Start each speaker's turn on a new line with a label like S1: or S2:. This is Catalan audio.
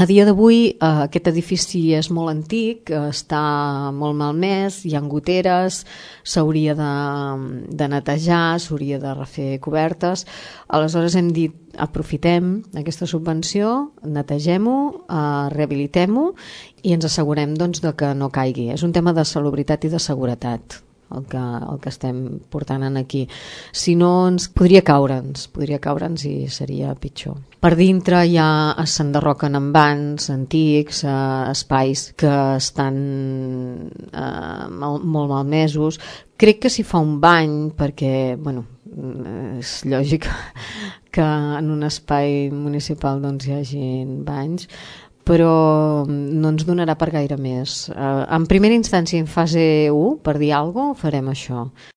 S1: A dia d'avui aquest edifici és molt antic, està molt malmès, hi ha goteres, s'hauria de netejar, s'hauria de refer cobertes. Aleshores hem dit, aprofitem aquesta subvenció, netegem-ho, rehabilitem-ho i ens assegurem doncs, de que no caigui. És un tema de salubritat i de seguretat el que estem portant aquí. Si no, podria caure'ns i seria pitjor. Per dintre ja s'enderroquen envans antics, espais que estan molt malmesos. Crec que s'hi fa un bany perquè, és lògic que en un espai municipal doncs, hi hagi banys, però no ens donarà per gaire més. En primera instància, en fase 1, per dir alguna cosa, farem això.